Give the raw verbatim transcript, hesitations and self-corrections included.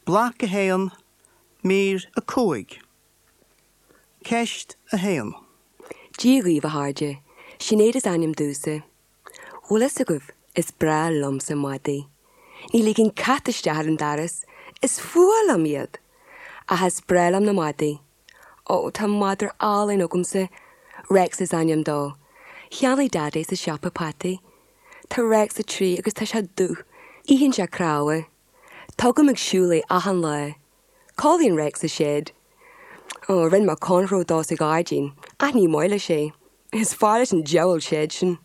Bloc a haon, mír a cúig. Ceist a haon. Dia dhaoibh a chairde, Sinéad is ainm domsa. Bhfuil fhios agaibh is breá liomsa madaí. Ní ligeann cat isteach ar an doras, is fuath liom iad. Ach is breá liom na madaí. Ó tá madra álainn agamsa, Rex is ainm dó. Cheannaigh Dad é sa siopa peataí. Tá Rex a trí agus tá sé dubh, itheann sé cnámha. Tugaim ag siúl é achan lá. Codlaíonn Rex sa shed. Ó rinne mé cornflower dó sa ghairdín, ach ní maith leis é. Is fearr leis an diabhal shed sin.